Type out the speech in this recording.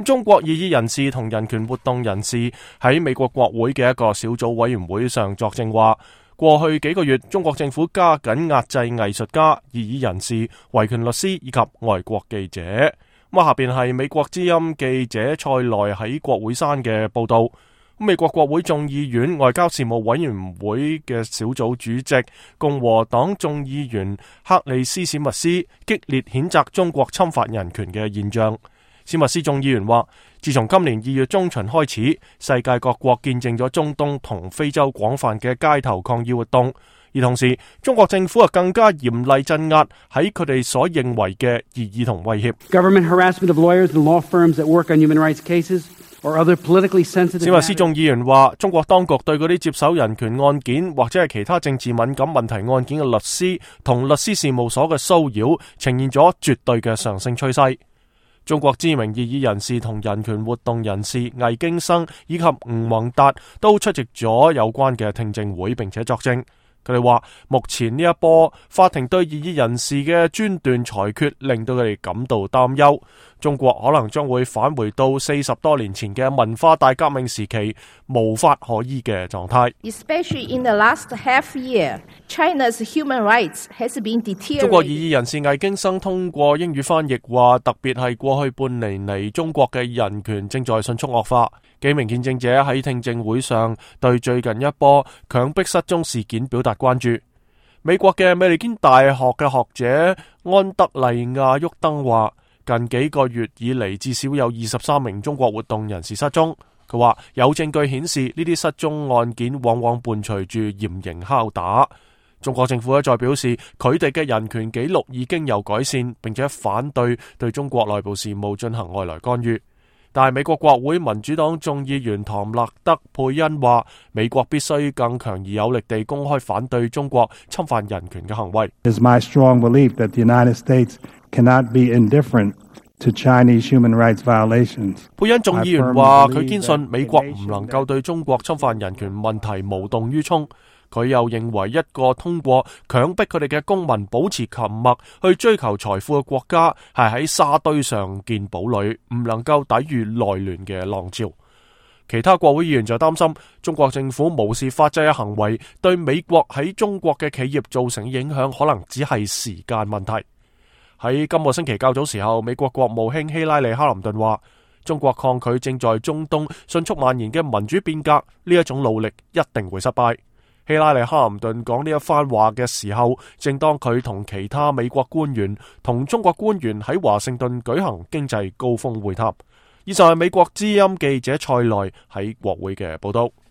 中國異議人士同人權活動人士喺美國國會嘅一個小組委員會上作證話，過去幾個月中國政府加緊壓制藝術家、異議人士、維權律師以及外國記者。咁下邊係美國之音記者塞內喺國會山嘅報道。美國國會眾議院外交事務委員會嘅小組主席共和黨眾議員克里斯史密斯激烈譴責中國侵犯人權嘅現象。史密斯眾議員話，自從今年2月中旬開始，世界各國見證咗中東同非洲廣泛嘅街頭抗議活動，而同時中國政府更加嚴厲鎮壓喺佢哋所認為嘅異議同威脅。Government harassment of lawyers and law firms that work on human rights cases or other politically sensitive。史密斯眾議員話，中國當局對嗰啲接手人權案件或者係其他政治敏感問題案件嘅律師同律師事務所嘅騷擾，呈現咗絕對嘅上升趨勢。中國知名異議人士同人權活動人士魏京生以及吳宏達都出席咗有關嘅聽證會，並且作證。佢哋話，目前呢一波法庭對異議人士嘅專斷裁決令到佢哋感到擔憂，中國可能將會返回到40多年前嘅文化大革命時期無法可依嘅狀態。Especially in the last half year, China's human rights has been deteriorated。中國異議人士魏京生通過英語翻譯話，特別係過去半年嚟，中國嘅人權正在迅速惡化。幾名見證者喺聽證會上對最近一波強迫失蹤事件表達關注。美國嘅美利堅大學嘅學者安德利亞沃登話，近幾個月以嚟至少有23名中國活動人士失蹤。佢話有證據顯示呢啲失蹤案件往往伴隨住嚴刑拷打。中國政府一再表示，佢哋嘅人權紀錄已經有改善，並且反對對中國內部事務進行外來干預。但係美國國會民主黨眾議員唐納德佩恩話，美國必須更強而有力地公開反對中國侵犯人權嘅行為。It is my strong belief that the United States cannot be indifferent to Chinese human rights violations。佩恩眾議員話，佢堅信美國唔能夠對中國侵犯人權問題無動於衷。佢又認為，一個通過強迫佢哋嘅公民保持沉默去追求財富嘅國家，係喺沙堆上建堡壘，唔能夠抵禦內亂嘅浪潮。其他國會議員就擔心，中國政府無視法制嘅行為對美國喺中國嘅企業造成影響，可能只係時間問題。喺今個星期較早時候，美國國務卿希拉里哈林頓話，中國抗拒正在中東迅速蔓延嘅民主變革，呢一種努力一定會失敗。希拉里哈林頓講呢一番話嘅時候，正當佢同其他美國官員同中國官員喺華盛頓舉行經濟高峰會談。以上係美國之音記者塞內喺國會嘅報道。